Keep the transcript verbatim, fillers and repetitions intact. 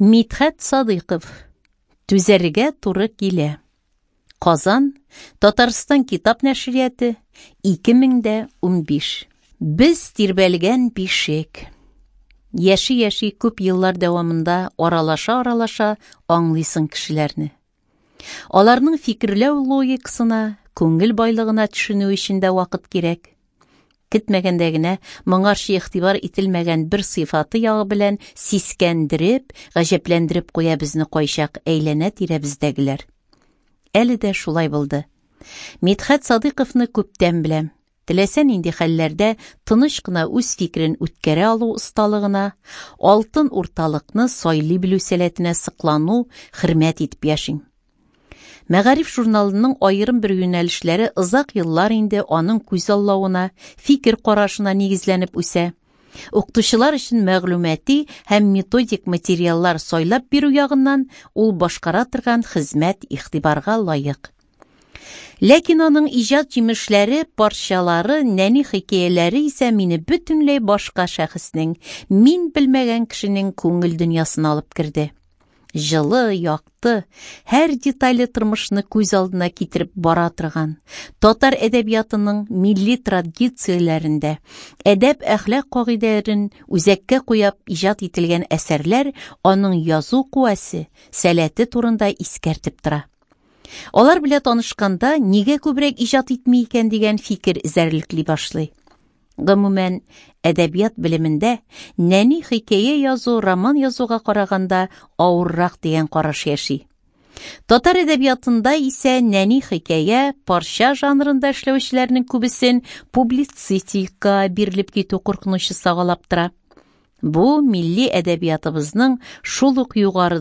Мидхәт Садыйков. Түзәргә туры килә. Казан, Татарстан китап нәшрияты, ике мең дә унбиш. Без тирбәлгән бишек. Яши-яши күп еллар дәвамында аралаша-аралаша аңлыйсың кешеләрне. Аларның фикерләү логикасына, күңел байлыгына төшенү өчен дә вакыт кирәк. Көтмәгәндә генә моңарчы игътибар ителмәгән бер сыйфаты ягы белән сискәндереп, гаҗәпләндереп куя безне кайчак әйләнә-тирәбездәгеләр. Әле дә шулай булды. Мидхәт Садыйковны күптән беләм. Теләсә нинди хәлләрдә тыныч кына үз фикерен үткәрә алу осталыгына, алтын урталыкны сайлый белү сәләтенә соклану, хөрмәт итеп яшим. Мәгариф журналының аерым бер юнәлешләре озак еллар инде аның күзаллавына, фикер карашына нигезләнеп үсә. Укытучылар өчен мәгълүмати һәм методик материаллар сайлап бирү ягыннан ул башкара торган хезмәт игътибарга лаек. Ләкин аның иҗат җимешләре, парчалары, нәни хикәяләре исә мине бөтенләй башка шәхеснең, мин белмәгән кешенең күңел дөньясына алып керде. Җылы, якты, һәр детале тормышны күз алдына китереп бара торган, татар әдәбиятының милли традицияләрендә әдәп-әхлак кагыйдәләрен үзәккә куеп иҗат ителгән әсәрләр аның язу куәсе, сәләте турында искәртеп тора. Алар белән танышканда нигә күбрәк иҗат итми икән дигән фикер эзәрлекли башлый. Гомумән, әдәбият белемендә нәни хикәя язу роман язуга караганда авыррак дигән караш яши. Татар әдәбиятында исә нәни хикәя, парча жанрында эшләүчеләрнең күбесен публицистика бирелеп китү куркынычы сагалап тора. Бу милли әдәбиятыбызның шул ук югарыда